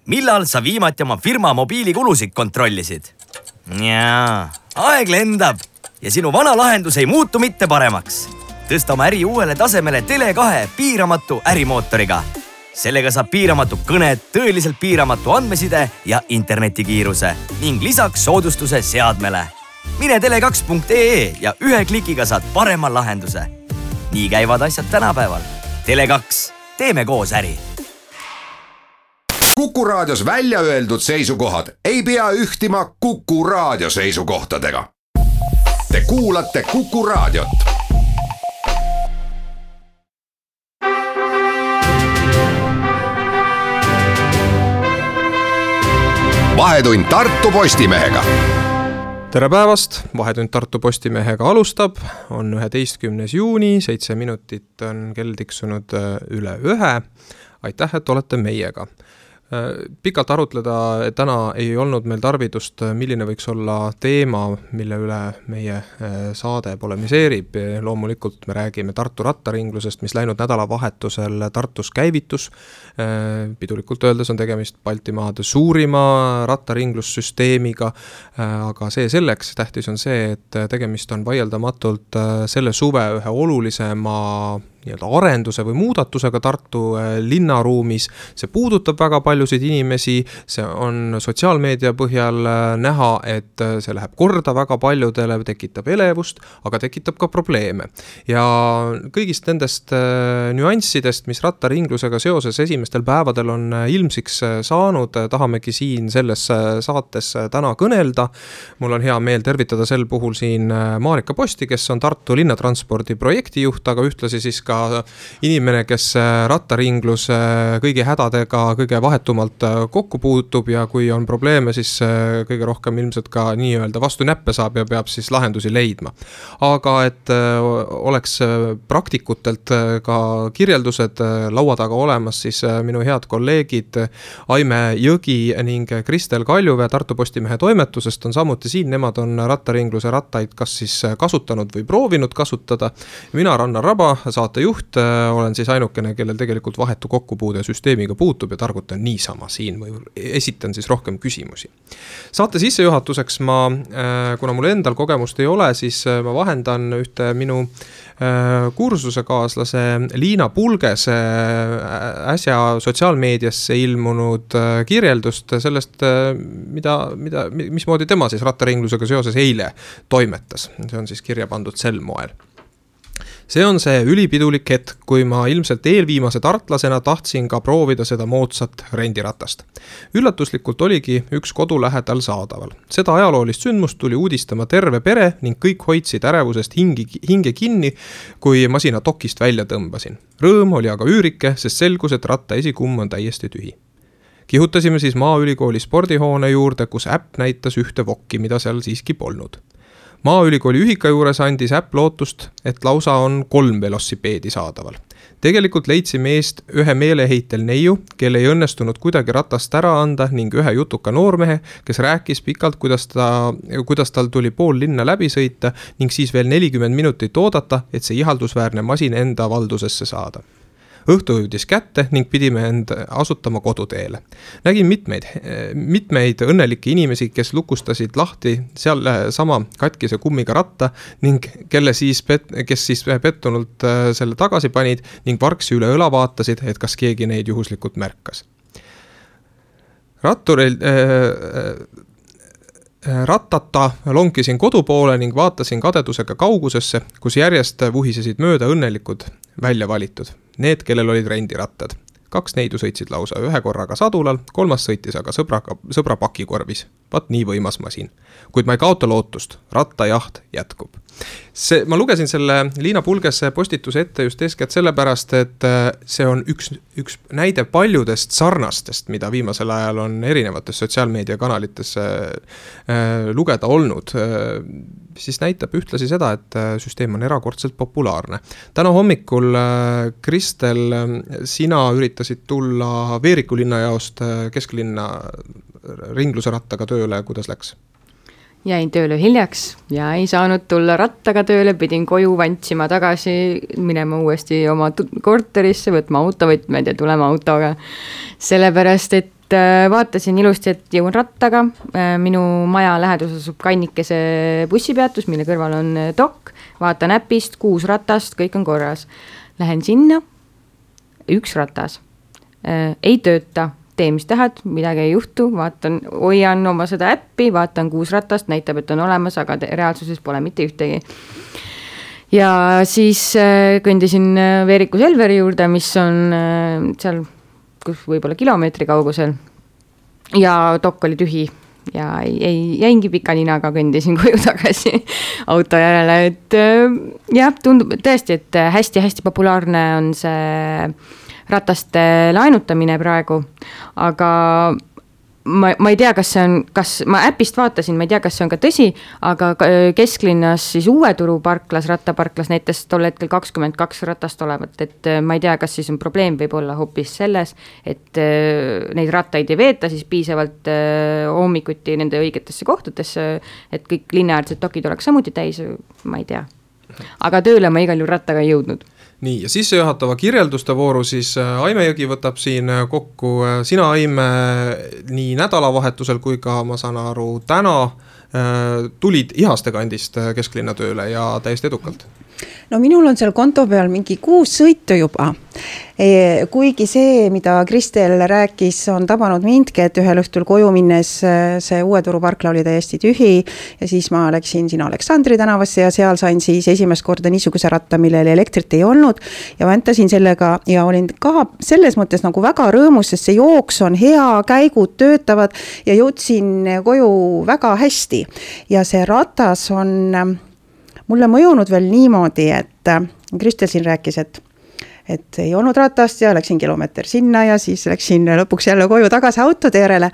millal sa viimati oma firma mobiilikulusid kontrollisid? Jaa, aeg lendab ja sinu vana lahendus ei muutu mitte paremaks. Tõsta oma äri uuele tasemele Tele2 piiramatu ärimootoriga. Sellega saab piiramatu kõned, tõeliselt piiramatu andmeside ja internetikiiruse ning lisaks soodustuse seadmele. Mine tele2.ee ja ühe klikiga saad parema lahenduse. Nii käivad asjad tänapäeval. Tele2, teeme koos äri. Kuku Raadios välja öeldud seisukohad ei pea ühtima Kuku Raadio seisukohtadega. Te kuulate Kuku Raadiot. Vahetund Tartu Postimehega. Tere päevast, Vahetund Tartu Postimehega alustab, on 11. juuni, 7 minutit on kell tiksunud üle 1. Aitäh, et olete meiega. Pikalt arutleda täna ei olnud meil tarvidust, milline võiks olla teema, mille üle meie saade polemiseerib. Loomulikult me räägime Tartu rattaringlusest, mis läinud nädalavahetusel Tartus käivitus. Pidulikult öeldes on tegemist Baltimaade suurima rattaringlussüsteemiga, aga see selleks tähtis on see, et tegemist on vaieldamatult selle suve ühe olulisema arenduse või muudatusega Tartu linnaruumis. See puudutab väga paljusid inimesi, see on sotsiaalmeedia põhjal näha, et see läheb korda väga paljudele, tekitab elevust, aga tekitab ka probleeme. Ja kõigist nendest nüanssidest, mis rattaringlusega seoses esimestel päevadel on ilmsiks saanud, tahamegi siin selles saates täna kõnelda. Mul on hea meel tervitada sel puhul siin Marika Posti, kes on Tartu linnatranspordi projektijuht, aga ühtlasi siis ka inimene, kes rattaringlus kõigi hädadega kõige vahetumalt kokku puutub ja kui on probleeme, siis kõige rohkem ilmselt ka nii-öelda vastu näppe saab ja peab siis lahendusi leidma. Aga et oleks praktikutelt ka kirjeldused laua taga olemas, siis minu head kolleegid Aime Jõgi ning Kristel Kaljuväe Tartu Postimehe toimetusest on samuti siin. Nemad on rattaringluse rattaid kas siis kasutanud või proovinud kasutada. Mina Rannar Raba, saate juht, olen siis ainukene, kellel tegelikult vahetu kokkupuude süsteemiga puutub ja targutan niisama siin või esitan siis rohkem küsimusi. Saate sissejuhatuseks kuna mul endal kogemust ei ole, siis ma vahendan ühte minu kursusekaaslase Liina Pulgese äsja sotsiaalmeediasse ilmunud kirjeldust sellest, mismoodi tema siis rattaringlusega seoses eile toimetas. See on siis kirja pandud sel moel. See on see ülipidulik hetk, kui ma ilmselt eelviimase tartlasena tahtsin ka proovida seda moodsat rendiratast. Üllatuslikult oligi üks kodu lähedal saadaval. Seda ajaloolist sündmust tuli uudistama terve pere ning kõik hoidsid ärevusest hinge kinni, kui masina dokist välja tõmbasin. Rõõm oli aga üürike, sest selgus, et ratta esikumm on täiesti tühi. Kihutasime siis Maaülikooli spordihoone juurde, kus äpp näitas ühte vokki, mida seal siiski polnud. Maaülikooli ühika juures andis äpp lootust, et lausa on 3 velosipeedi saadaval. Tegelikult leidsime eest ühe meeleheitel neiu, kelle ei õnnestunud kuidagi ratast ära anda ning ühe jutuka noormehe, kes rääkis pikalt, kuidas tal tuli pool linna läbi sõita ning siis veel 40 minutit oodata, et see ihaldusväärne masin enda valdusesse saada. Õhtu jõudis kätte ning pidime end asutama koduteele. Nägin mitmeid õnnelikke inimesi, kes lukustasid lahti seal sama katkise kummiga ratta ning kes siis pettunult selle tagasi panid ning varksi üle õla vaatasid, et kas keegi neid juhuslikult märkas. Rattata lonkisin kodu poole ning vaatasin kadedusega kaugusesse, kus järjest vuhisesid mööda õnnelikud välja valitud. Need, kellel olid rendirattad. 2 neidu sõitsid lausa ühe korraga sadulal, 3 sõitis aga sõbra pakikorvis. Vaat nii võimas masin. Kuid ma ei kaota lootust, rattajaht jätkub. Ma lugesin selle Liina Pulgese postituse ette just eeskätt sellepärast, et see on üks näide paljudest sarnastest, mida viimasel ajal on erinevates sotsiaalmeediakanalites lugeda olnud. Siis näitab ühtlasi seda, et süsteem on erakordselt populaarne. Täna hommikul, Kristel, sina üritasid tulla Veeriku linnajaost kesklinna ringluse rattaga tööle, kuidas läks? Jäin tööle hiljaks ja ei saanud tulla rattaga tööle, pidin koju vantsima tagasi, minema uuesti oma korterisse, võtma autovõtmed ja tulema autoga. Sellepärast, et et vaatasin ilusti, et jõuan rattaga, minu maja lähedus asub Kannikese bussipeatus, mille kõrval on dok, vaatan äpist, 6 ratast, kõik on korras. Lähen sinna, 1 ratas, ei tööta, tee mis tahad, midagi ei juhtu, vaatan, hoian oma seda äppi, vaatan 6 ratast, näitab, et on olemas, aga reaalsuses pole mitte ühtegi. Ja siis kõndisin Veeriku Selveri juurde, mis on seal kus võib-olla kilomeetri kaugusel ja dok oli tühi ja jäingi pika ninaga, kõndisin koju tagasi auto järele, et jah, tundub tõesti, et hästi-hästi populaarne on see rataste laenutamine praegu, aga ma ei tea, kas ma äpist vaatasin, ma ei tea, kas see on ka tõsi, aga kesklinnas siis Uue Turu parklas, rattaparklas näitas tol hetkel 22 ratast olevat, et ma ei tea, kas siis on probleem võib olla hoopis selles, et neid rattaid ei veeta siis piisavalt hommikuti nende õigetesse kohtadesse, et kõik linnaäärsed dokid oleks samuti täis, ma ei tea. Aga tööle ma igal juhul rattaga ei jõudnud. Nii, ja sissejuhatava kirjelduste vooru siis Aime Jõgi võtab siin kokku. Sina, Aime, nii nädalavahetusel kui ka, ma saan aru, täna tulid Ihaste kandist kesklinna tööle ja täiesti edukalt. No minul on seal konto peal mingi 6 sõitu juba. Kuigi see, mida Kristel rääkis, on tabanud mindki, et ühel õhtul koju minnes see Uue Turu parkla oli täiesti tühi ja siis ma läksin sinna Aleksandri tänavasse ja seal sain siis esimest korda niisuguse ratta, millel elektrit ei olnud ja väntasin sellega ja olin ka selles mõttes nagu väga rõõmus, sest see jooks on hea, käigud töötavad ja jõudsin koju väga hästi ja see ratas on mulle mõjunud veel niimoodi, et Kristel siin rääkis, et ei olnud ratast ja läksin kilomeeter sinna ja siis läksin lõpuks jälle koju tagasi autode järele.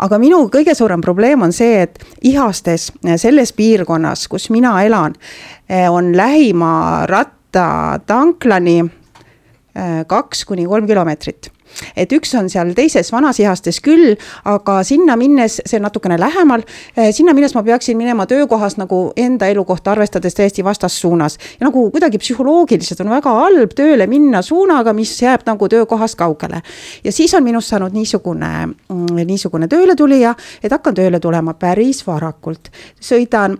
Aga minu kõige suurem probleem on see, et Ihastes, selles piirkonnas, kus mina elan, on lähima rattatanklani 2-3 kilomeetrit. Et üks on seal teises vanas Ihastes küll, aga sinna minnes, see natukene lähemal, sinna minnes ma peaksin minema töökohas nagu enda elukohta arvestades täiesti vastassuunas. Ja nagu kuidagi psühholoogiliselt on väga halb tööle minna suunaga, mis jääb nagu töökohast kaugele. Ja siis on minust saanud niisugune tööle tulija, et hakkan tööle tulema päris varakult. Sõidan,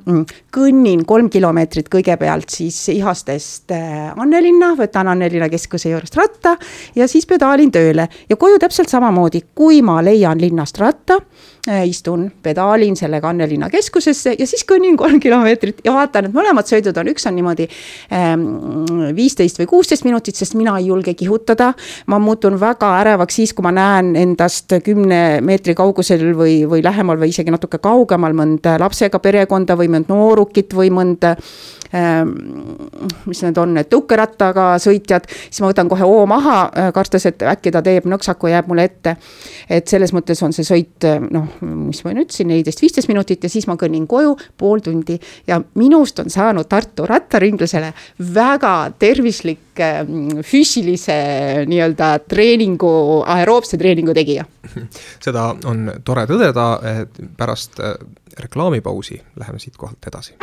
kõnnin 3 kilomeetrit kõigepealt siis Ihastest Annelinna, võtan Annelinna keskuse juurest ratta ja siis pedaalin tööle. Ja koju täpselt samamoodi, kui ma leian linnast ratta, istun, pedaalin sellega Annelinna keskusesse ja siis kõnnin 3 kilomeetrit ja vaatan, et mõlemad sõidud on, üks on niimoodi 15 või 16 minutit, sest mina ei julge kihutada. Ma muutun väga ärevaks siis, kui ma näen endast 10 meetri kaugusel või lähemal või isegi natuke kaugemal mõnda lapsega perekonda või mõnd noorukit või mõnda mis need on, tõukerattaga sõitjad, siis ma võtan kohe maha, kartes, et äkki ta teeb nõksaku ja jääb mulle ette. Et selles mõttes on see sõit, mis ma nüüd siin 14-15 minutit ja siis ma kõnnin koju pool tundi ja minust on saanud Tartu rattaringlusele väga tervislik füüsilise nii-öelda treenigu, aeroobse treeningu tegija. Seda on tore tõdeda, et pärast reklaamipausi läheme siit kohalt edasi.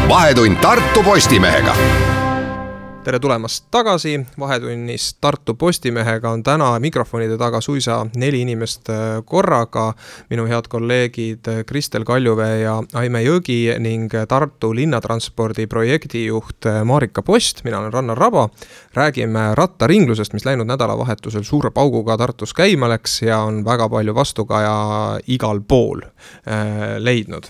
Vahetund Tartu Postimehega. Tere tulemast tagasi, Vahetunnis Tartu Postimehega on täna mikrofonide taga suisa 4 inimest korraga. Minu head kolleegid Kristel Kaljuvee ja Aime Jõgi ning Tartu linnatranspordi projektijuht Marika Post. Mina olen Rannar Raba. Räägime rattaringlusest, mis läinud nädalavahetusel suure pauguga Tartus käima läks ja on väga palju vastukaja igal pool leidnud.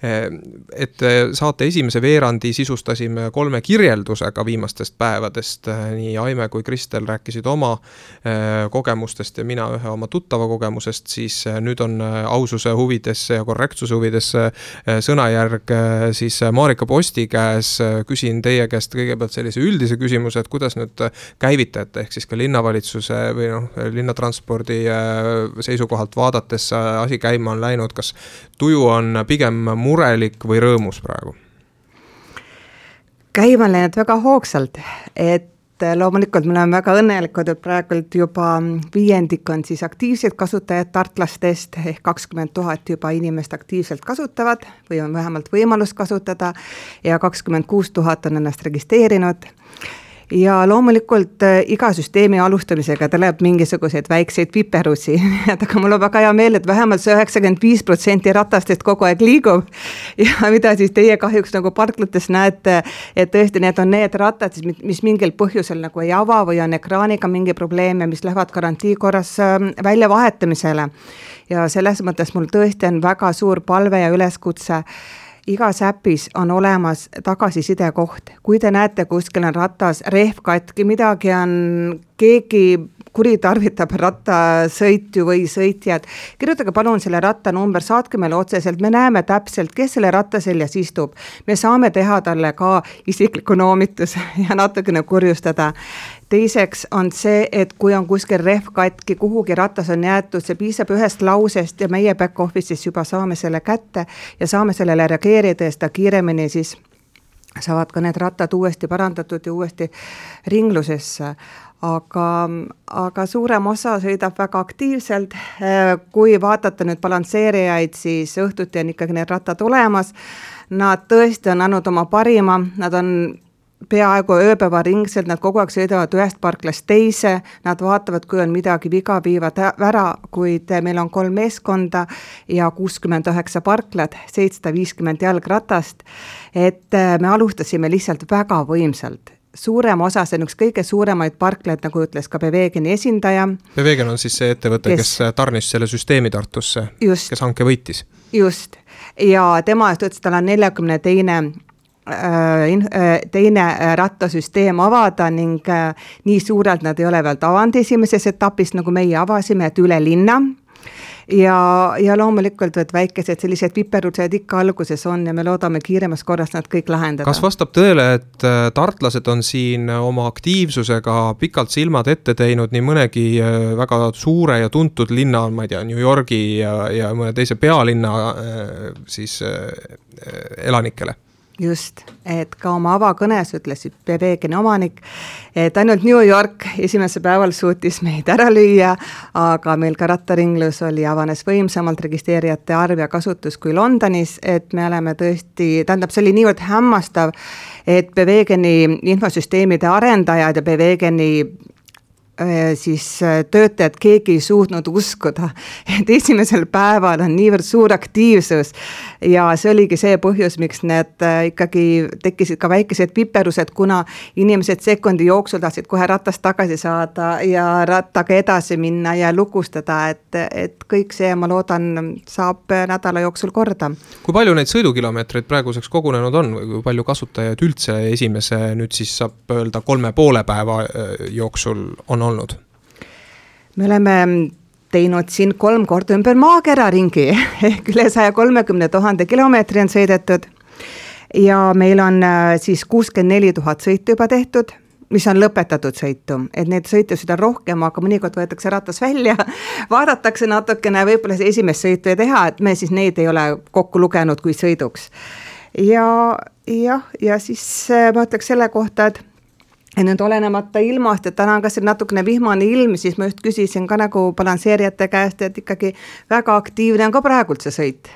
Et saate esimese veerandi sisustasime 3 kirjeldusega viimastest päevadest. Nii Aime kui Kristel rääkisid oma kogemustest ja mina ühe oma tuttava kogemusest, siis nüüd on aususe huvides ja korrektsuse huvides sõnajärg siis Marika Posti käes. Küsin teie käest kõigepealt sellise üldise küsimuse, et kuidas nüüd käivitajate ehk siis ka linnavalitsuse või linnatranspordi seisukohalt vaadates asi käima on läinud, kas tuju on pigem murelik või rõõmus praegu? Käima läinud väga hoogsalt, et loomulikult me oleme väga õnnelikud, et praegult juba 5% on siis aktiivsed kasutajad tartlastest, ehk 20 000 juba inimest aktiivselt kasutavad või on vähemalt võimalus kasutada ja 26 000 on ennast registreerinud. ja loomulikult iga süsteemi alustamisega tuleb mingisuguseid väikseid viperusi, aga mul on väga hea meel, et vähemalt see 95% ratastest kogu aeg liigub ja mida siis teie kahjuks nagu parklates näete, et tõesti need on need rattad, mis mingil põhjusel nagu ei ava või on ekraaniga mingi probleem ja mis lähevad garantii korras välja vahetamisele. Ja selles mõttes mul tõesti on väga suur palve ja üleskutse. Igas äpis on olemas tagasiside koht. Kui te näete, kuskil on ratas rehv katki, midagi on, keegi kuritarvitab rattasõitju või sõitjad, kirjutage palun selle rattanumber, saatke meile otseselt, me näeme täpselt, kes selle ratta seljas istub. Me saame teha talle ka isikliku noomituse ja natukene kurjustada. Teiseks on see, et kui on kuskil rehv katki, kuhugi ratas on jäetud, see piisab ühest lausest ja meie back office'is juba saame selle kätte ja saame sellele reageerida ja seda kiiremini siis saavad ka need rattad uuesti parandatud ja uuesti ringlusesse. Aga suurem osa sõidab väga aktiivselt. Kui vaadata nüüd balansseerijaid, siis õhtuti on ikkagi need rattad olemas. Nad tõesti on andnud oma parima, nad on peaaegu ööpäeva ringselt, nad kogu aeg sõidavad ühest parklast teise, nad vaatavad, kui on midagi viga, viivad ära, kuid meil on 3 meeskonda ja 69 parklad, 750 jalgratast, et me alustasime lihtsalt väga võimsalt. Suurem osa, see on üks kõige suuremaid parklaid, nagu ütles ka Bevegeni esindaja. Bevegen on siis see ettevõte, kes tarnis selle süsteemi Tartusse, kes hanke võitis. Just, ja tema ütles, et tal on 42 teine rattasüsteem avada ning nii suurelt nad ei ole veel avanud esimeses etapis, nagu meie avasime, et üle linna. Ja loomulikult, et väikesed sellised viperused ikka alguses on ja me loodame kiiremas korras nad kõik lahendada. Kas vastab tõele, et tartlased on siin oma aktiivsusega pikalt silmad ette teinud nii mõnegi väga suure ja tuntud linna, ma ei tea, New Yorgi ja mõne teise pealinna siis elanikele? Just, et ka oma avakõnes ütlesid Bevegeni omanik, et ainult New York esimese päeval suutis meid ära lüüa, aga meil ka rattaringlus oli avanes võimsamalt registreerijate arv ja kasutus kui Londonis, et me oleme tõesti, tähendab, see oli niivõrd hämmastav, et Bevegeni infosüsteemide arendajad ja Bevegeni siis töötajad, keegi ei suutnud uskuda, et esimesel päeval on niivõrd suur aktiivsus ja see oligi see põhjus, miks need ikkagi tekkisid ka väikesed viperused, kuna inimesed sekundi jooksul tahtsid kohe ratast tagasi saada ja rattaga edasi minna ja lukustada, et kõik see, ma loodan, saab nädala jooksul korda. Kui palju neid sõidukilomeetreid praeguseks kogunenud on või kui palju kasutajaid üldse esimese nüüd siis saab öelda 3,5 päeva jooksul on olnud? Me oleme teinud siin 3 korda ümber maakera ringi, ehk üle 130 000 kilomeetri on sõidetud ja meil on siis 64 000 sõitu juba tehtud, mis on lõpetatud sõitu, et need sõitusid on rohkem, aga mõnikord võetakse ratas välja, vaadatakse natukene, võib-olla see esimest sõitu ei teha, et me siis neid ei ole kokku lugenud kui sõiduks. Ja siis ma ütleks selle kohta, et nüüd olenemata ilmast, et täna on kas natukene vihmane ilm, siis ma just küsisin ka nagu balansseerijate käest, et ikkagi väga aktiivne on ka praegult see sõit.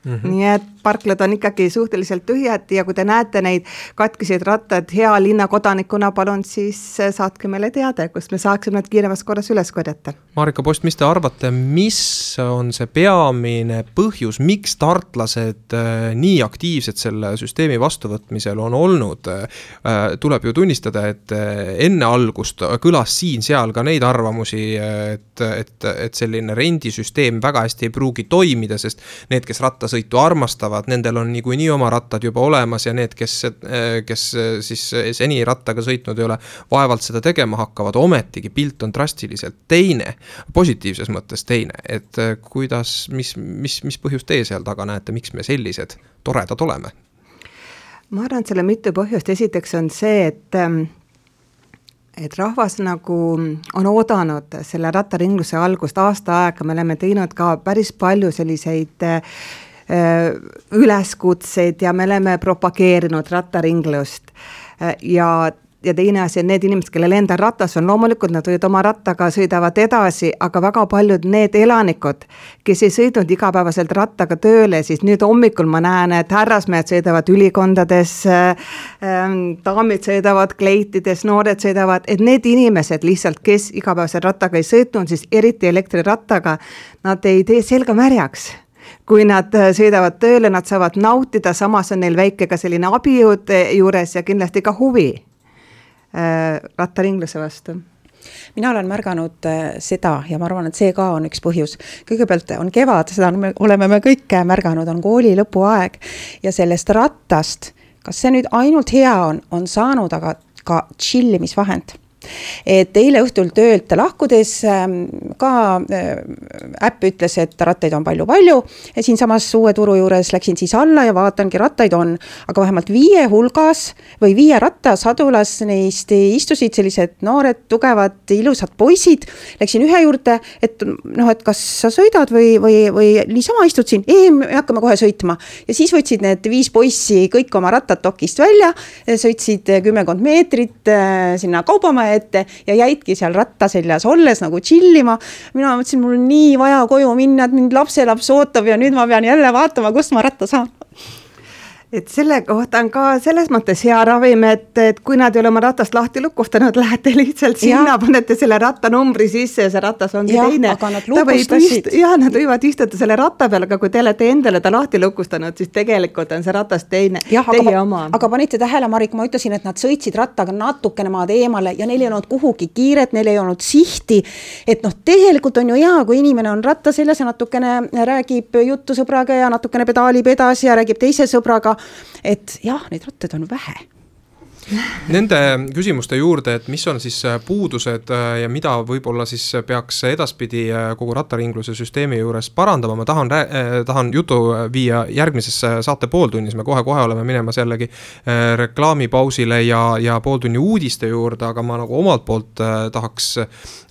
Nii et parklad on ikkagi suhteliselt tühjad ja kui te näete neid katkiseid rattad hea linna kodanikuna, palun siis saatke meile teada, kus me saaksime nad kiiremas korras üles korjata. Marika Post, mis te arvate, mis on see peamine põhjus, miks tartlased nii aktiivsed selle süsteemi vastuvõtmisel on olnud? Tuleb ju tunnistada, et enne algust kõlas siin-seal ka neid arvamusi, et selline rendisüsteem väga hästi ei pruugi toimida, sest need, kes rattasõitu armastavad, nendel on nii oma rattad juba olemas ja need, kes siis seni rattaga sõitnud ei ole, vaevalt seda tegema hakkavad, ometigi pilt on drastiliselt teine, positiivses mõttes teine, et kuidas, mis põhjus teie seal taga näete, miks me sellised toredad oleme? Ma arvan, et selle mitu põhjust, esiteks on see, et rahvas nagu on oodanud selle rattaringluse algust aasta aega, me oleme teinud ka päris palju selliseid üleskutseid ja me oleme propageerinud rattaringlust ja ja teine asi on need inimesed, kellel enda ratas on, loomulikult nad võivad oma rattaga sõidavad edasi, aga väga paljud need elanikud, kes ei sõidnud igapäevaselt rattaga tööle, siis nüüd hommikul ma näen, et härrasmehed sõidavad ülikondades, daamid sõidavad kleitides, noored sõidavad, et need inimesed lihtsalt, kes igapäevaselt rattaga ei sõitnud, siis eriti elektrirattaga, nad ei tee selga märjaks. Kui nad sõidavad tööle, nad saavad nautida, samas on neil väike ka selline abijõud juures ja kindlasti ka huvi rattaringluse vastu. Mina olen märganud seda ja ma arvan, et see ka on üks põhjus. Kõigepealt on kevad, seda oleme me kõik märganud, on kooli lõpuaeg ja sellest rattast, kas see nüüd ainult hea on saanud, aga ka chillimisvahend. Et eile õhtul töölt lahkudes ka äpp ütles, et rattaid on palju ja siin samas Uue Turu juures läksin siis alla ja vaatangi, rattaid on, aga vähemalt 5 hulgas või 5 rattasadulas neist istusid sellised noored, tugevad, ilusad poisid. Läksin ühe juurde, et kas sa sõidad või niisama istud siin? Ei, me hakkame kohe sõitma. Ja siis võtsid need 5 poissi kõik oma rattad dokist välja, sõitsid 10 meetrit sinna kaubamaja ette ja jäidki seal rattaseljas olles nagu chillima. Mina mõtlesin, mul on nii vaja koju minna, et mind lapselaps ootab ja nüüd ma pean jälle vaatama, kust ma ratta saan. Et selle kohta on ka selles mõttes hea ravim, et kui nad ei ole oma ratast lahti lukustanud, lähete lihtsalt sinna, panete selle rattanumbri sisse ja see ratas ongi teine. Aga nad lukustasid. Nad võivad istuda selle ratta peal, aga kui te olete endale ta lahti lukustanud, siis tegelikult on see ratas teie oma. Aga panite tähele, Marik, ma ütlesin, et nad sõitsid rattaga natukene maad eemale ja neil ei olnud kuhugi kiiret, neil ei olnud sihti. Et tegelikult on ju hea, kui inimene on ratta seljas ja natukene räägib juttu sõbraga ja natukene pedaalib edasi ja räägib teise sõbraga. Et jah, neid rattaid on vähe. Nende küsimuste juurde, et mis on siis puudused ja mida võib-olla siis peaks edaspidi kogu rattaringluse süsteemi juures parandama, ma tahan jutu viia järgmises saate pooltunnis, me kohe oleme minemas jällegi reklaamipausile ja pooltunni uudiste juurde, aga ma nagu omalt poolt tahaks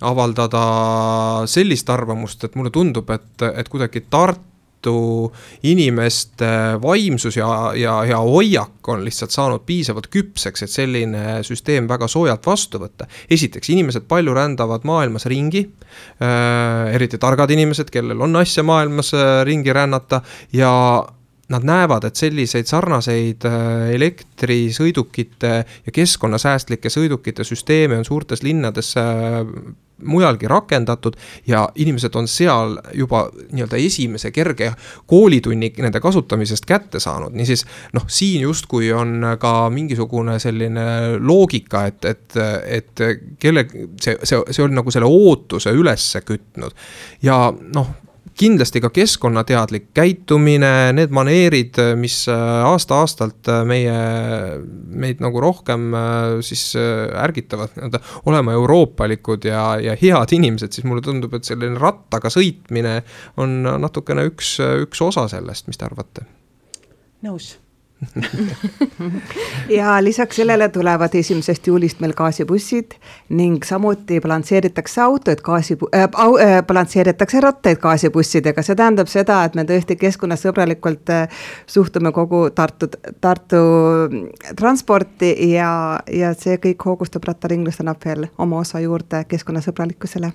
avaldada sellist arvamust, et mulle tundub, et kuidagi inimeste vaimsus ja hoiak on lihtsalt saanud piisavalt küpseks, et selline süsteem väga soojalt vastu võtta. Esiteks, inimesed palju rändavad maailmas ringi, eriti targad inimesed, kellel on asja maailmas ringi rännata ja nad näevad, et selliseid sarnaseid elektrisõidukite ja keskkonnasäästlike sõidukite süsteeme on suurtes linnades mujalgi rakendatud ja inimesed on seal juba nii-öelda esimese kerge koolitunni nende kasutamisest kätte saanud. Niisiis, siin justkui on ka mingisugune selline loogika, et see on nagu selle ootuse ülesse kütnud ja kindlasti ka keskkonnateadlik käitumine, need maneerid, mis aasta-aastalt meid nagu rohkem siis ärgitavad olema euroopalikud ja head inimesed, siis mulle tundub, et selline rattaga sõitmine on natukene üks osa sellest, mis te arvate? Nõus. Ja lisaks sellele tulevad 1. juulist meil gaasibussid ning samuti balansseeritakse balansseeritakse rattaid gaasibussidega. See tähendab seda, et me tõesti keskkonnasõbralikult suhtume kogu Tartu transporti ja see kõik hoogustab rattaringlust, annab veel oma osa juurde keskkonnasõbralikkusele.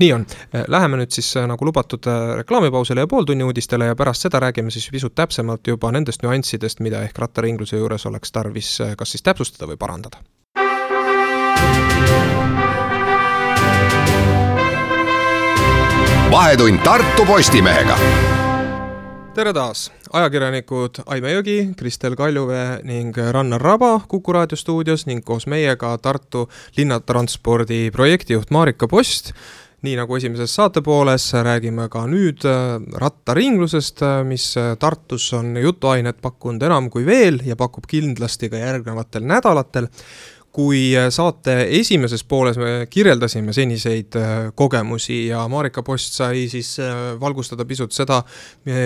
Nii on. Läheme nüüd siis nagu lubatud reklaamipausile ja pooltunni uudistele ja pärast seda räägime siis pisut täpsemalt juba nendest nüanssidest, mida ehk rattaringluse juures oleks tarvis kas siis täpsustada või parandada. Vahetund Tartu Postimehega. Tere taas! Ajakirjanikud Aime Jõgi, Kristel Kaljuvee ning Rannar Raba Kuku Raadio stuudios ning koos meiega Tartu linnatranspordi projektijuht Marika Post. Nii nagu esimeses saatepooles räägime ka nüüd rattaringlusest, mis Tartus on jutuainet pakkunud enam kui veel ja pakub kindlasti ka järgnevatel nädalatel. Kui saate esimeses pooles me kirjeldasime seniseid kogemusi ja Marika Post sai siis valgustada pisut seda,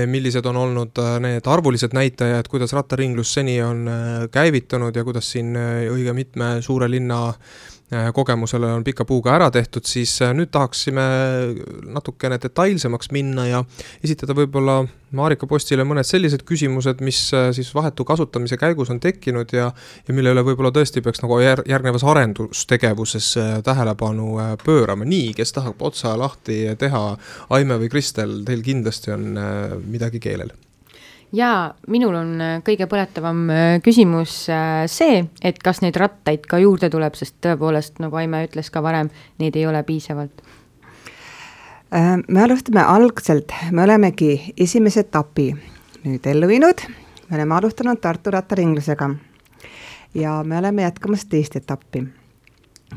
millised on olnud need arvulised näitajad, kuidas rattaringlus seni on käivitunud ja kuidas siin õige mitme suure linna kogemusele on pika puuga ära tehtud, siis nüüd tahaksime natukene detailsemaks minna ja esitada võib-olla Marika Postile mõned sellised küsimused, mis siis vahetu kasutamise käigus on tekkinud ja mille üle võib-olla tõesti peaks nagu järgnevas arendustegevuses tähelepanu pöörama. Nii, kes tahab otsa lahti teha, Aime või Kristel, teil kindlasti on midagi keelel. Ja minul on kõige põletavam küsimus see, et kas neid rattaid ka juurde tuleb, sest tõepoolest, nagu Aime ütles ka varem, neid ei ole piisavalt. Me alustame algselt, me olemegi esimese etapi nüüd ellu viinud, me oleme alustanud Tartu rattaringlusega ja me oleme jätkamas teist etappi.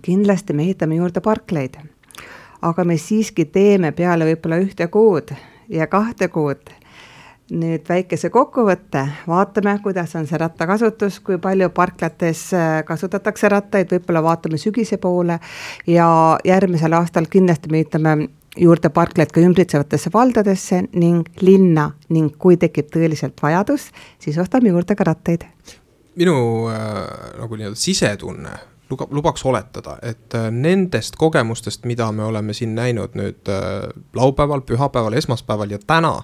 Kindlasti me ehitame juurde parkleid, aga me siiski teeme peale võib-olla 1 kuud ja 2 kuud nüüd väikese kokkuvõtte, vaatame, kuidas on see rattakasutus, kui palju parklates kasutatakse rattaid, võib-olla vaatame sügise poole ja järgmisel aastal kindlasti me ehitame juurde parkleid ka ümbritsevatesse valdadesse ning linna ning kui tekib tõeliselt vajadus, siis ostame juurde ka rattaid. Minu nagu nii-öelda sisetunne lubaks oletada, et nendest kogemustest, mida me oleme siin näinud nüüd laupäeval, pühapäeval, esmaspäeval ja täna,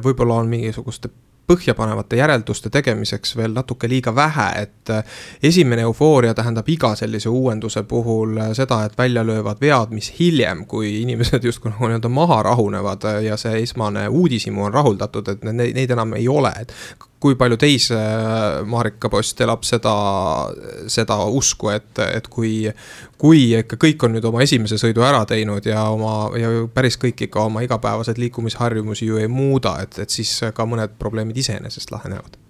võib-olla on mingisuguste põhjapanevate järelduste tegemiseks veel natuke liiga vähe, et esimene eufooria tähendab iga sellise uuenduse puhul seda, et välja löövad vead, mis hiljem, kui inimesed justkui nagu nii-öelda maha rahunevad ja see esmane uudisimu on rahuldatud, et neid enam ei ole. Et kui palju teis, Marika Post, elab seda usku, et kui ikka kõik on nüüd oma esimese sõidu ära teinud ja päris kõik ikka oma igapäevased liikumisharjumusi ju ei muuda, et siis ka mõned probleemid iseenesest lahenevad?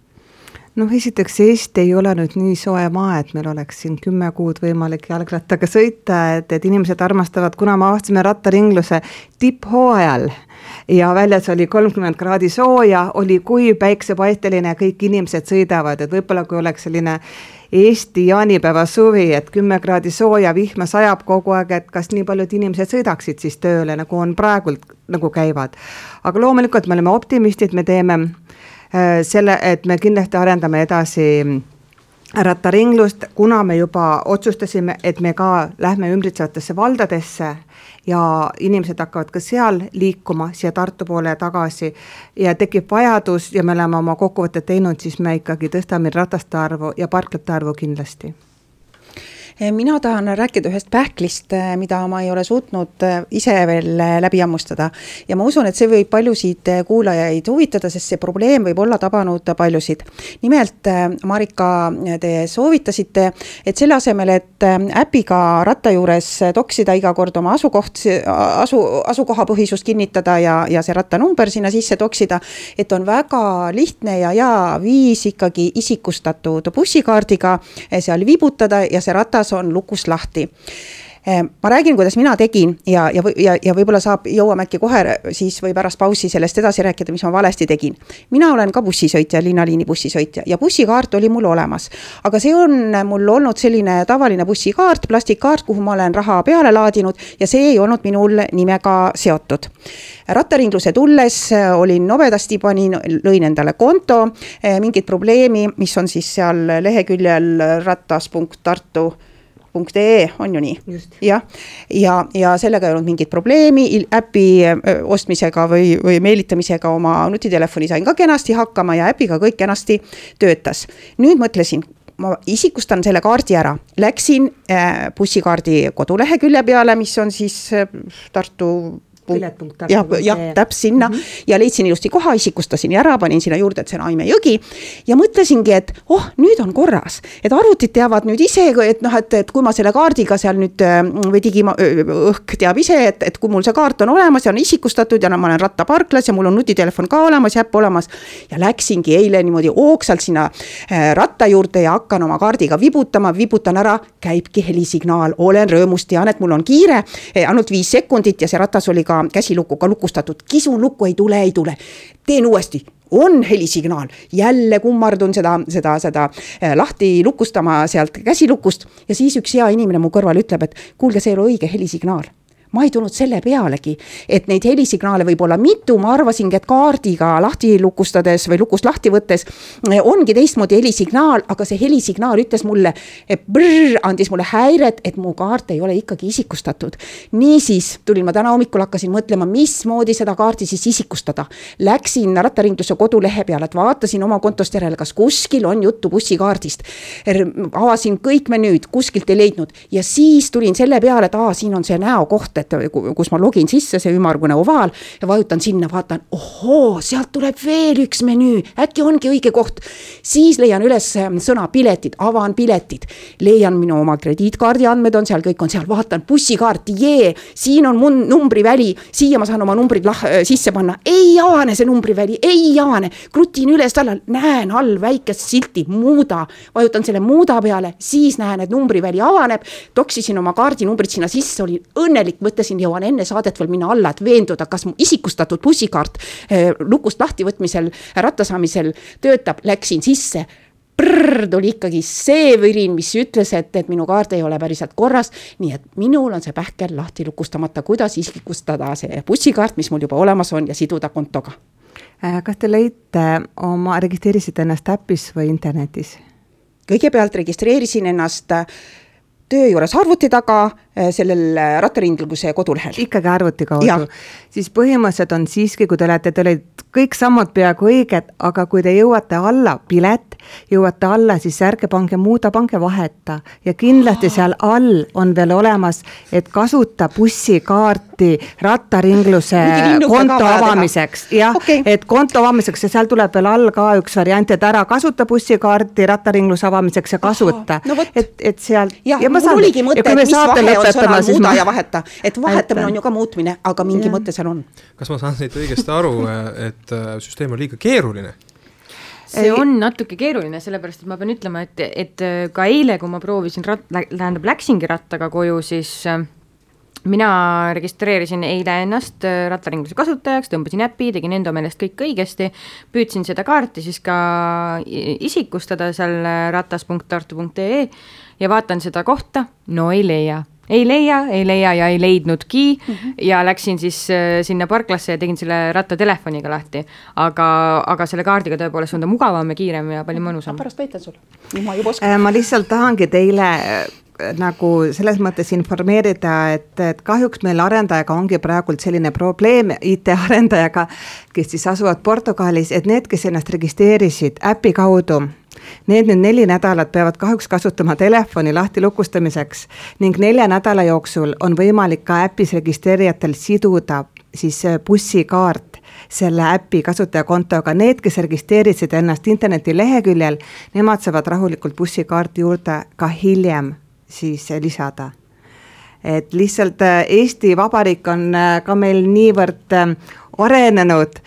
Esiteks Eesti ei ole nüüd nii soe maa, et meil oleks siin 10 kuud võimalik jalgrattaga sõita, et inimesed armastavad, kuna me avastasime rattaringluse tipphooajal ja väljas oli 30 kraadi sooja, oli kui päiksepaisteline, kõik inimesed sõidavad, et võib-olla kui oleks selline Eesti jaanipäeva suvi, et 10 kraadi sooja, vihma sajab kogu aeg, et kas nii paljud inimesed sõidaksid siis tööle, nagu on praegult nagu käivad. Aga loomulikult me oleme optimistid, me teeme selle, et me kindlasti arendame edasi rattaringlust, kuna me juba otsustasime, et me ka lähme ümbritsevatesse valdadesse ja inimesed hakkavad ka seal liikuma siia Tartu poole tagasi ja tekib vajadus ja me oleme oma kokkuvõtted teinud, siis me ikkagi tõstame rataste arvu ja parklate arvu kindlasti. Mina tahan rääkida ühest pähklist, mida ma ei ole suutnud ise veel läbi ammustada. Ja ma usun, et see võib paljusid kuulajaid huvitada, sest see probleem võib olla tabanud paljusid. Nimelt, Marika, te soovitasite, et selle asemel, et äpiga ratta juures toksida iga kord oma asukoha põhisust kinnitada ja see rattanumber sinna sisse toksida, et on väga lihtne ja viis ikkagi isikustatud bussikaardiga seal vibutada ja see ratas on lukus lahti. Ma räägin, kuidas mina tegin ja võib-olla jõuame äkki kohe siis või pärast pausi sellest edasi rääkida, mis ma valesti tegin. Mina olen ka bussisõitja, linnaliini bussisõitja ja bussikaart oli mul olemas. Aga see on mul olnud selline tavaline bussikaart, plastikkaart, kuhu ma olen raha peale laadinud ja see ei olnud minul nimega seotud. Rattaringluse tulles olin nobedasti, lõin endale konto, mingit probleemi, mis on siis seal leheküljel rattas.tartu.ee on ju nii. Ja sellega ei olnud mingit probleemi, äpi ostmisega või meelitamisega oma nutitelefoni sain ka kenasti hakkama ja äpiga kõik kenasti töötas. Nüüd mõtlesin, ma isikustan selle kaardi ära. Läksin bussikaardi kodulehekülje peale, mis on siis Tartu ja täpselt sinna ja leidsin ilusti koha, isikustasin ära, panin sinna juurde, et see on Aime jõgi ja mõtlesingi, et nüüd on korras, et arvutid teavad nüüd ise, et kui ma selle kaardiga seal nüüd või digiõhk teab ise, et kui mul see kaart on olemas ja on isikustatud ja ma olen rattaparklas ja mul on nutitelefon ka olemas ja äpp olemas ja läksingi eile niimoodi ooksalt sinna ratta juurde ja hakkan oma kaardiga vibutan ära, käibki helisignaal, olen rõõmus, tean, et mul on kiire, ainult 5 sekundit ja see ratas oli ka käsilukuga lukustatud, kisun lukku, ei tule, teen uuesti, on helisignaal, jälle kummardun seda lahti lukustama sealt käsilukust ja siis üks hea inimene mu kõrval ütleb, et kuulge, see ei ole õige helisignaal. ma ei tulnud selle pealegi, et neid helisignaale võib olla mitu, ma arvasingi, et kaardiga lahti lukustades või lukust lahti võttes ongi teistmoodi helisignaal, aga see helisignaal ütles mulle, andis mulle häiret, et mu kaart ei ole ikkagi isikustatud. Niisiis tulin ma täna hommikul, hakkasin mõtlema, mismoodi seda kaarti siis isikustada. Läksin rattaringluse kodulehe peale, et vaatasin oma kontost järele, kas kuskil on juttu bussikaardist. Avasin kõik menüüd, kuskilt ei leidnud ja siis tulin selle peale, et siin on see näokoht, et kus ma login sisse, see ümmargune ovaal ja vajutan sinna, vaatan, sealt tuleb veel üks menüü, äkki ongi õige koht. Siis leian üles sõna piletid, avan piletid, leian minu oma krediitkaardi andmed on seal, kõik on seal, vaatan bussikaart, siin on mun numbriväli, siia ma saan oma numbrid sisse panna, ei avane see numbriväli, ei avane, krutin üles tallal, näen all väikest silti, muuda, vajutan selle muuda peale, siis näen, et numbriväli avaneb, toksisin oma kaardinumbrid sinna sisse, olin õnnelik, mõtlesin, jõuan enne saadet veel minna alla, et veenduda, kas mu isikustatud bussikaart lukust lahtivõtmisel, rattasaamisel töötab, läksin sisse. Tuli ikkagi see võrin, mis ütles, et minu kaart ei ole päriselt korras, nii et minul on see pähkel lahti lukustamata, kuidas isikustada see bussikaart, mis mul juba olemas on ja siduda kontoga. Kas te registreerisite ennast äppis või internetis? Kõigepealt registreerisin ennast töö juures arvuti taga sellel rattaringluse kodulehel. Ikkagi arvuti kaudu. Siis põhimõtteliselt on siiski, kui te olid kõik sammud peaaegu õiged, aga kui te jõuate alla pilet, jõuate alla, siis ärge pange muuda, pange vaheta. Ja kindlasti seal all on veel olemas, et kasuta bussikaarti rattaringluse konto avamiseks. Jah, et konto avamiseks ja seal tuleb veel all ka üks variant, et ära kasuta bussikaarti rattaringluse avamiseks ja kasuta. Et seal... Ja mul oligi mõte, et mis vahe on sõnal muuda ja vaheta. Et vahetamine on ju ka muutmine, aga mingi mõte seal on. Kas ma saan neid õigesti aru, et süsteem on liiga keeruline? See on natuke keeruline, sellepärast, et ma pean ütlema, et ka eile, kui ma proovisin, läksingi rattaga koju, siis mina registreerisin eile ennast rattaringluse kasutajaks, tõmbasin äppi, tegin enda meelest kõik õigesti, püüdsin seda kaarti siis ka isikustada seal ratas.tartu.ee ja vaatan seda kohta, no ei leia ja ei leidnudki ja läksin siis sinna parklasse ja tegin selle rattatelefoniga lahti. Aga selle kaardiga tõepoolest on ta mugavam ja kiirem ja palju mõnusam. Pärast võitan sul. Ma lihtsalt tahangi teile nagu selles mõttes informeerida, et kahjuks meil arendajaga ongi praegult selline probleem IT-arendajaga, kes siis asuvad Portugalis, et need, kes ennast registreerisid äpi kaudu, need nüüd 4 nädalat peavad kahjuks kasutama telefoni lahti lukustamiseks ning 4 nädala jooksul on võimalik ka äpis registreerijatel siduda siis bussikaart selle äpi kasutajakontoga. Need, kes registreerisid ennast interneti leheküljel, nemad saavad rahulikult bussikaarti juurde ka hiljem siis lisada. Et lihtsalt Eesti Vabariik on ka meil niivõrd arenenud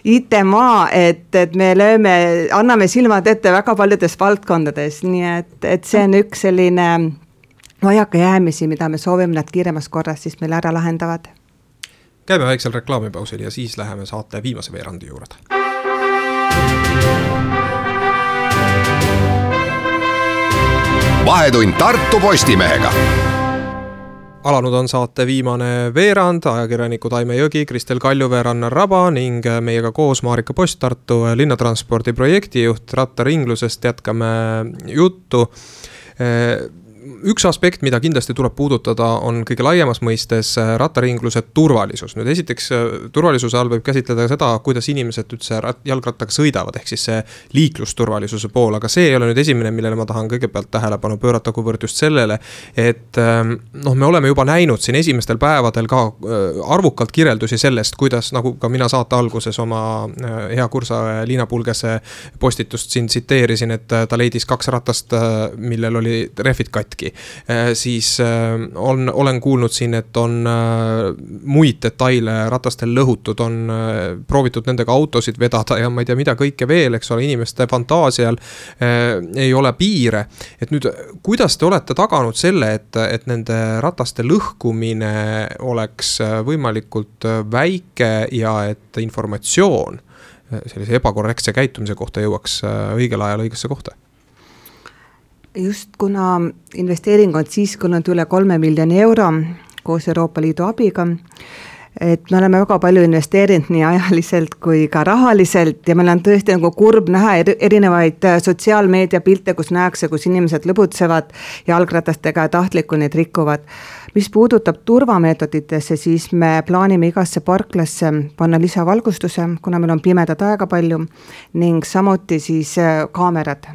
IT-maa, et me anname silmad ette väga paljudes valdkondades, nii et see on üks selline vajakajäämisi, mida me soovime nad kiiremas korras siis meil ära lahendavad. Käime väiksel reklaamipausil ja siis läheme saate viimase veerandi juurde. Vahetund Tartu Postimehega. Alanud on saate viimane veerand, ajakirjanikud Aime Jõgi, Kristel Kaljuveer, Annar Raba ning meiega koos Marika Post, Tartu linnatranspordi projektijuht rattaringlusest. Jätkame juttu. Üks aspekt, mida kindlasti tuleb puudutada, on kõige laiemas mõistes rattaringluse turvalisus. Nüüd esiteks turvalisuse all võib käsitleda seda, kuidas inimesed üldse jalgrattaga sõidavad, ehk siis see liiklusturvalisuse pool, aga see ei ole nüüd esimene, millele ma tahan kõigepealt tähelepanu pöörata, kuivõrd just sellele, et me oleme juba näinud siin esimestel päevadel ka arvukalt kirjeldusi sellest, kuidas, nagu ka mina saate alguses oma hea kursa Liina Pulgese postitust siin tsiteerisin, et ta leidis 2 ratast, millel oli rehvid katki. Siis olen kuulnud siin, et on muid detaile ratastel lõhutud, on proovitud nendega autosid vedada ja ma ei tea mida kõike veel, eks ole, inimeste fantaasial ei ole piire. Et nüüd, kuidas te olete taganud selle, et nende rataste lõhkumine oleks võimalikult väike ja et informatsioon sellise ebakorrektse käitumise kohta jõuaks õigel ajal õigesse kohta? Just kuna investeering on siis kulunud üle 3 miljoni euro, koos Euroopa Liidu abiga. Et me oleme väga palju investeerinud nii ajaliselt kui ka rahaliselt ja meil on tõesti nagu kurb näha erinevaid sotsiaalmeedia pilte, kus näekse, kus inimesed lõbutsevad jalgratastega ja tahtlikku neid rikuvad. Mis puudutab turvameetoditesse, siis me plaanime igasse parklasse panna lisavalgustuse, kuna meil on pimedat aega palju ning samuti siis kaamerad.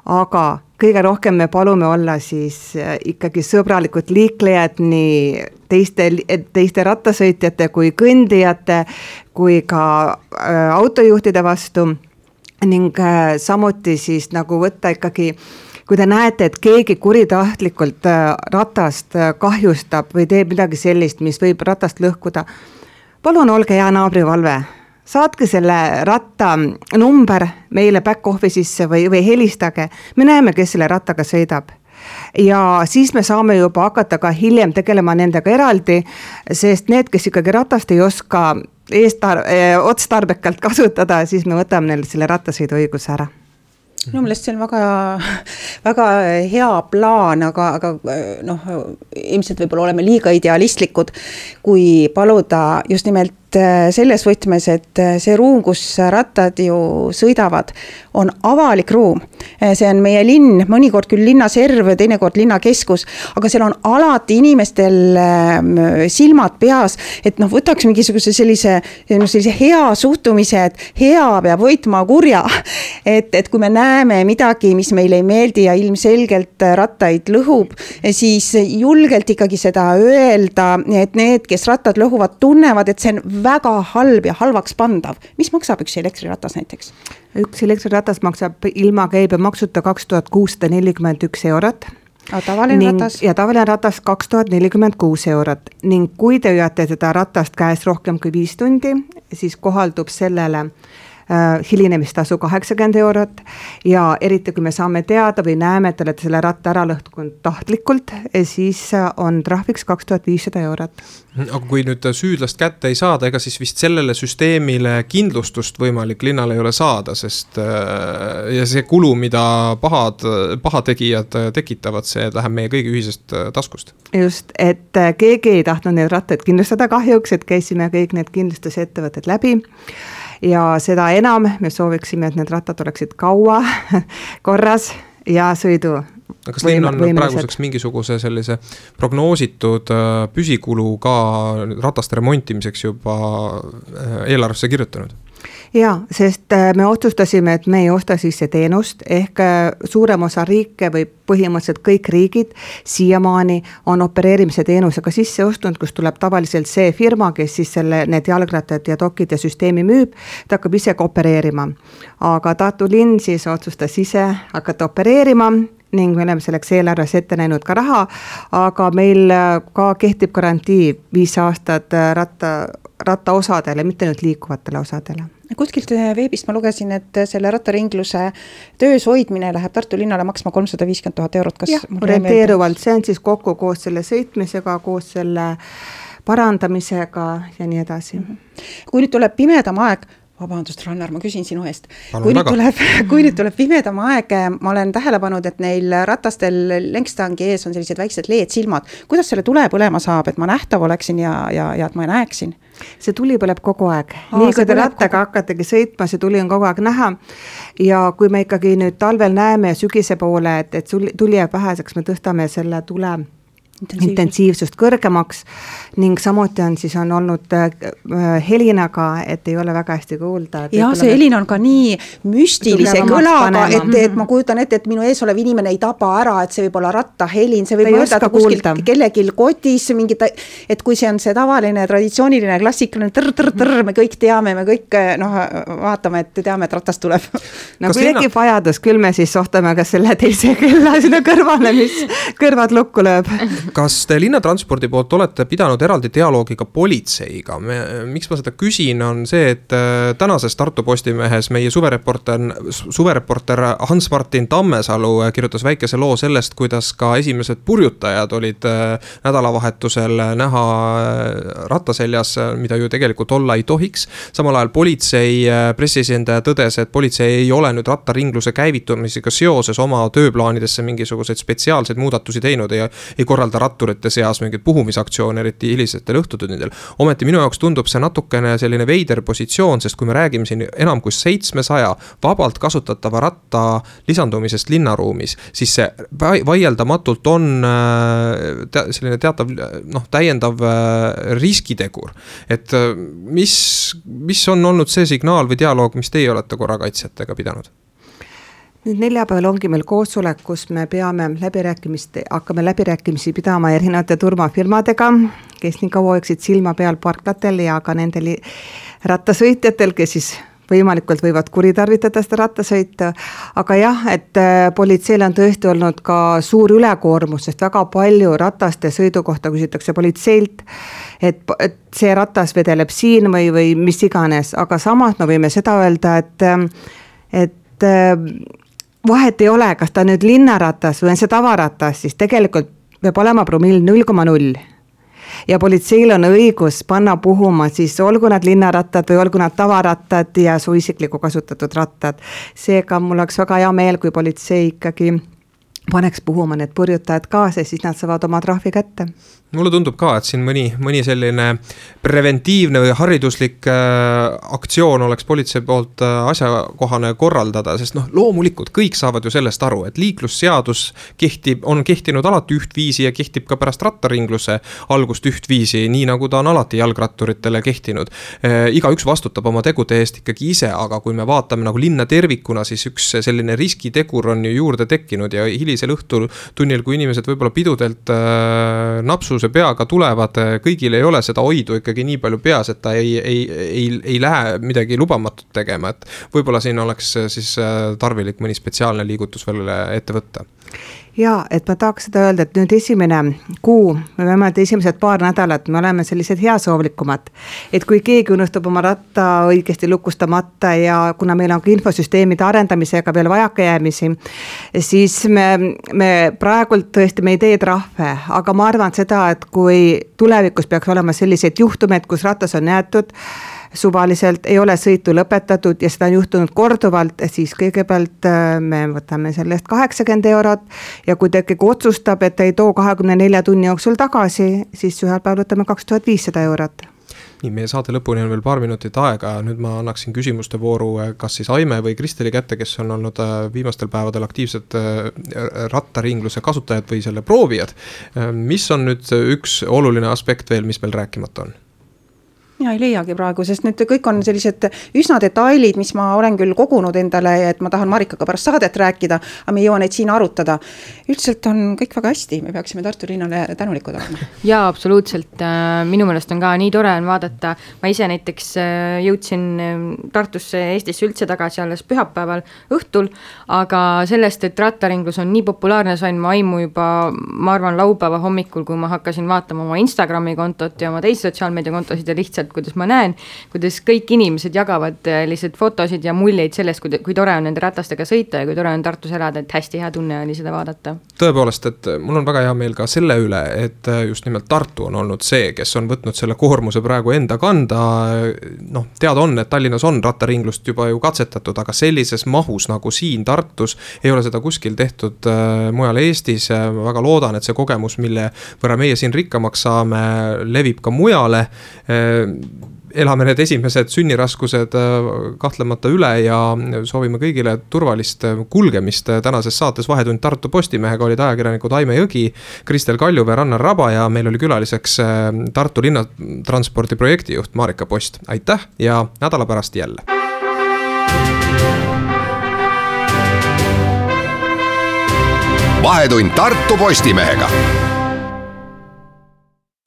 Aga kõige rohkem me palume olla siis ikkagi sõbralikud liiklejad nii teiste rattasõitjate kui kõndijate kui ka autojuhtide vastu ning samuti siis nagu võtta ikkagi, kui te näete, et keegi kuritahtlikult ratast kahjustab või teeb midagi sellist, mis võib ratast lõhkuda, palun olge hea naabrivalve. Saatke selle ratta number meile back office'isse või helistage. Me näeme, kes selle rattaga sõidab. Ja siis me saame juba hakata ka hiljem tegelema nendega eraldi, sest need, kes ikkagi ratast ei oska otstarbekalt kasutada, siis me võtame neile selle rattasõidu õiguse ära. Minu meelest see on väga hea plaan, aga ilmselt võib-olla oleme liiga idealistlikud, kui paluda just nimelt selles võtmes, et see ruum, kus rattad ju sõidavad, on avalik ruum. See on meie linn, mõnikord küll linna serv, teinekord linna keskus, aga seal on alati inimestel silmad peas, et võtaks mingisuguse sellise hea suhtumise, et hea peab võitma kurja. Et kui me näeme midagi, mis meile ei meeldi ja ilmselgelt rattaid lõhub, siis julgelt ikkagi seda öelda, et need, kes rattad lõhuvad, tunnevad, et see on väga halb ja halvaks pandav. Mis maksab üks elektriratas näiteks? Üks elektriratas maksab ilma käibemaksuta 2641 eurot. Tavaline ratas? Ja tavaline ratas 2046 eurot. Ning kui te hoiate seda ratast käes rohkem kui 5 tundi, siis kohaldub sellele hilinemistaasu 80 eurot ja eriti kui me saame teada või näeme, et olete selle ratta ära lõhkunud tahtlikult, siis on trahviks 2500 eurot. Aga kui nüüd süüdlast kätte ei saada, ega siis vist sellele süsteemile kindlustust võimalik linnal ei ole saada, sest ja see kulu, mida pahategijad tekitavad, see läheb meie kõigi ühisest taskust. Just, et keegi ei tahtnud neid rattaid kindlustada kahjuks, et käisime kõik need kindlustusettevõtted läbi. Ja seda enam me sooviksime, et need rattad oleksid kaua korras ja sõidu. Kas linn on praeguseks mingisuguse sellise prognoositud püsikulu ka rataste remontimiseks juba eelarvesse kirjutanud? Jaa, sest me otsustasime, et me ei osta sisse teenust, ehk suurem osa riike või põhimõtteliselt kõik riigid siiamaani on opereerimise teenusega sisse ostnud, kus tuleb tavaliselt see firma, kes siis need jalgrattad ja dokid ja süsteemi müüb, ta hakkab ise ka opereerima. Aga Tartu linn siis otsustas ise hakata opereerima ning me oleme selleks eelarves ette näinud ka raha, aga meil ka kehtib garantii 5 aastat ratta osadele, mitte nüüd liikuvatele osadele. Kuskilt veebist ma lugesin, et selle rattaringluse töös hoidmine läheb Tartu linnale maksma 350 000 eurot. Kas orienteeruvalt, see on siis kokku koos selle sõitmisega, koos selle parandamisega ja nii edasi. Kui nüüd tuleb pimedam aeg, vabandust, Rannar, ma küsin sinu eest. Kui nüüd tuleb pimedam aeg, ma olen tähele pannud, et neil ratastel lengstangi ees on sellised väiksed LED-silmad. Kuidas selle tule põlema saab, et ma nähtav oleksin ja et ma näeksin? See tuli põleb kogu aeg. Nii kui te rattaga hakkategi sõitma, see tuli on kogu aeg näha. Ja kui me ikkagi nüüd talvel näeme sügise poole, et tuli jääb väheseks, me tõstame selle tule intensiivsust kõrgemaks ning samuti on olnud helinaga, et ei ole väga hästi kuulda. Ja see helin on ka nii müstilise kõlaga, et ma kujutan ette, et minu ees olev inimene ei taba ära, et see võib olla rattahelin, see võib mõelda kuskil kellegil kotis, et kui see on see tavaline, traditsiooniline, klassikaline tõr, me kõik teame, me kõik vaatame, et teame, et ratas tuleb. No kui tekib vajadus, küll me siis sohtame ka selle teise kella sinna kõrvale, mis kõrvad lukku lööb. Kas te linnatranspordi poolt olete pidanud eraldi dialoogiga politseiga? Miks ma seda küsin, on see, et tänases Tartu Postimehes meie suvereporter Hans-Martin Tammesalu kirjutas väikese loo sellest, kuidas ka esimesed purjutajad olid nädalavahetusel näha rattaseljas, mida ju tegelikult olla ei tohiks. Samal ajal politsei pressiesindaja tõdes, et politsei ei ole nüüd rattaringluse käivitumisega seoses oma tööplaanidesse mingisuguseid spetsiaalseid muudatusi teinud ja ei korralda korraldada ratturite seas mingeid puhumisaktsioone, eriti hilisetel õhtutundidel. Ometi minu jaoks tundub see natukene selline veider positsioon, sest kui me räägime siin enam kui 700 vabalt kasutatava ratta lisandumisest linnaruumis, siis see vaieldamatult on selline teatav täiendav riskitegur. Et mis on olnud see signaal või dialoog, mis teie olete korrakaitsjatega pidanud? Nüüd neljapäeval ongi meil koosolek, kus me hakkame läbirääkimisi pidama erinevate turvafirmadega, kes nii kaua hoiaksid silma peal parklatel ja ka nendel rattasõitjatel, kes siis võimalikult võivad kuritarvitada seda rattasõita. Aga jah, et politseil on tõesti olnud ka suur ülekoormus, sest väga palju rataste sõidu kohta küsitakse politseilt, et see ratas vedeleb siin või mis iganes. Aga samas me võime seda öelda, et vahet ei ole, kas ta nüüd linnaratas või on see tavaratas, siis tegelikult peab olema promill 0,0. Ja politseil on õigus panna puhuma siis olgu nad linnarattad või olgu nad tavarattad ja su isikliku kasutatud rattad. Seega mul oleks väga hea meel, kui politsei ikkagi paneks puhuma need purjutajad kaasa, siis nad saavad oma trahvi kätte. Mulle tundub ka, et siin mõni selline preventiivne või hariduslik aktsioon oleks politsei poolt asjakohane korraldada, sest loomulikult kõik saavad ju sellest aru, et liiklusseadus on kehtinud alati ühtviisi ja kehtib ka pärast rattaringluse algust ühtviisi, nii nagu ta on alati jalgratturitele kehtinud. Igaüks vastutab oma tegude eest ikkagi ise, aga kui me vaatame nagu linna tervikuna, siis üks selline riskitegur on ju juurde tekkinud ja hilisel õhtul tunnil, kui inimesed võib-olla pidudelt napsu see peaga tulevad, kõigil ei ole seda hoidu ikkagi nii palju peas, et ta ei lähe midagi lubamatut tegema, et võib-olla siin oleks siis tarvilik mõni spetsiaalne liigutus veel ette võtta. Ja, et ma tahaks seda öelda, et nüüd esimene kuu, me vähemalt esimesed paar nädalat, me oleme sellised heasoovlikumad, et kui keegi unustab oma ratta õigesti lukustamata ja kuna meil on ka infosüsteemide arendamisega veel vajakajäämisi, siis me praegult tõesti me ei tee trahve, aga ma arvan seda, et kui tulevikus peaks olema selliseid juhtumeid, kus ratas on jäetud, suvaliselt ei ole sõitu lõpetatud ja seda on juhtunud korduvalt, siis kõigepealt me võtame sellest 80 eurot ja kui ta ikkagi otsustab, et ei too 24 tunni jooksul tagasi, siis ühel päeval võtame 2500 eurot. Nii, meie saate lõpuni on veel paar minutit aega, nüüd ma annaksin küsimuste vooru kas siis Aime või Kristeli kätte, kes on olnud viimastel päevadel aktiivsed rattaringluse kasutajad või selle proovijad. Mis on nüüd üks oluline aspekt veel, mis meil rääkimata on? Mina ei leiagi praegu, sest nüüd kõik on sellised üsna detailid, mis ma olen küll kogunud endale, et ma tahan Marikaga pärast saadet rääkida, aga me ei jõua neid siin arutada. Üldiselt on kõik väga hästi, me peaksime Tartu linnale tänulikud olema. Jaa, absoluutselt. Minu meelest on ka nii tore on vaadata. Ma ise näiteks jõudsin Tartusse Eestisse üldse tagasi alles pühapäeval õhtul, aga sellest, et rattaringlus on nii populaarne, sain ma aimu juba, ma arvan, laupäeva hommikul, kui ma hakkasin vaatama oma Instagrami kontot ja oma teisi sotsiaalmeedia kontosid ja lihtsalt kuidas ma näen, kuidas kõik inimesed jagavad lihtsalt fotosid ja muljeid sellest, kui tore on nende ratastega sõita ja kui tore on Tartus elada, et hästi hea tunne oli seda vaadata. Tõepoolest, et mul on väga hea meel ka selle üle, et just nimelt Tartu on olnud see, kes on võtnud selle koormuse praegu enda kanda. Teada on, et Tallinnas on rattaringlust juba ju katsetatud, aga sellises mahus nagu siin Tartus ei ole seda kuskil tehtud mujal Eestis. Väga loodan, et see kogemus, mille võrra meie siin rikkamaks saame, levib ka mujale. Elame need esimesed sünniraskused kahtlemata üle ja soovime kõigile turvalist kulgemist. Tänases saates Vahetund Tartu Postimehega olid ajakirjanikud Aime Jõgi, Kristel Kaljuve, Rannar Raba ja meil oli külaliseks Tartu linnatranspordi projektijuht Marika Post. Aitäh ja nädala pärast jälle! Vahetund Tartu Postimehega.